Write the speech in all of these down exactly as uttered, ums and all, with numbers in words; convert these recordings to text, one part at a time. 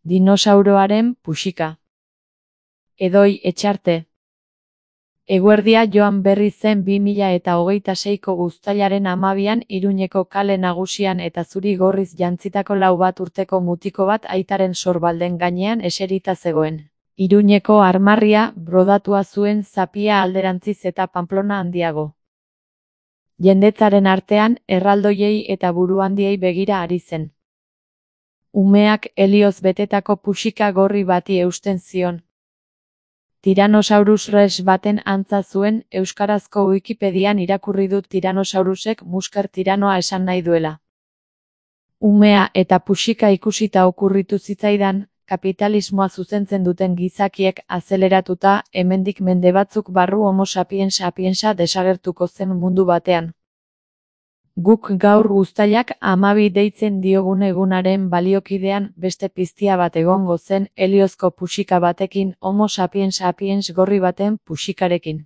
Dinosauroaren puxika. Edoi Etxarte. Eguerdia joan berri zen bi mila eta hogeita seiko uztailaren hamabian Iruñeko kale nagusian eta zuri gorriz jantzitako lau bat urteko mutiko bat aitaren sorbalden gainean eserita zegoen. Iruñeko armarria brodatua zuen zapia alderantziz eta Pamplona handiago. Jendetzaren artean erraldoiei eta buruhandiei begira ari zen. Umeak helioz betetako puxika gorri bati eusten zion. Tyrannosaurus rex baten antza zuen, euskarazko Wikipedian irakurri dut Tyrannosaurusek musker tiranoa esan nahi duela. Umea eta puxika ikusita okurritu zitzaidan, kapitalismoa zuzentzen duten gizakiek azeleratuta, hemendik mende batzuk barru Homo sapiens sapiensa desagertuko zen mundu batean. Guk gaur uztailak hamabi deitzen diogun egunaren baliokidean beste piztia bat egongo zen heliozko puxika batekin, Homo sapiens sapiens gorri baten puxikarekin.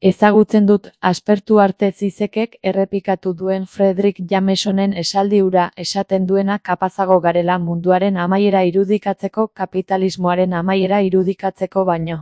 Ezagutzen dut, aspertu arte zizekek errepikatu duen Frederick Jamesonen esaldi hura esaten duena kapazago garela munduaren amaiera irudikatzeko kapitalismoaren amaiera irudikatzeko baino.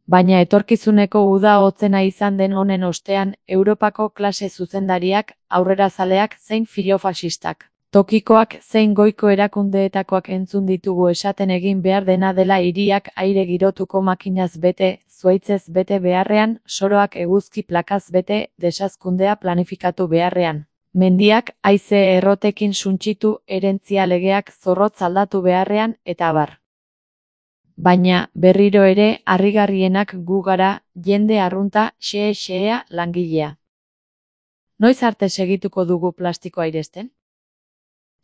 Baina etorkizuneko uda hotzena izan den honen ostean, Europako klase zuzendariak, aurrerazaleak zein filofasistak, tokikoak zein goiko erakundeetakoak entzun ditugu esaten egin behar dena dela hiriak aire girotuko makinaz bete, zuhaitzez bete beharrean, soroak eguzki plakaz bete, desazkundea planifikatu beharrean. Mendiak haize errotekin suntsitu, herentzia legeak zorrotz aldatu beharrean, eta abar. Baina, berriro ere, harrigarrienak gu gara, jende arrunta, xee-xeea langilea. Noiz arte segituko dugu plastikoa airesten?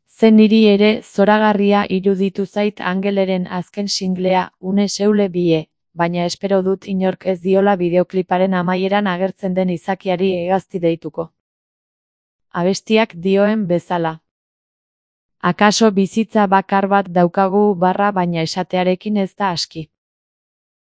Zen niri ere, zoragarria iruditu zait Angeleren azken singlea, une seule bie, baina espero dut inork ez diola bideokliparen amaieran agertzen den izakiari hegazti deituko. Abestiak dioen bezala. Akaso bizitza bakar bat daukagu barra baina esatearekin ez da aski.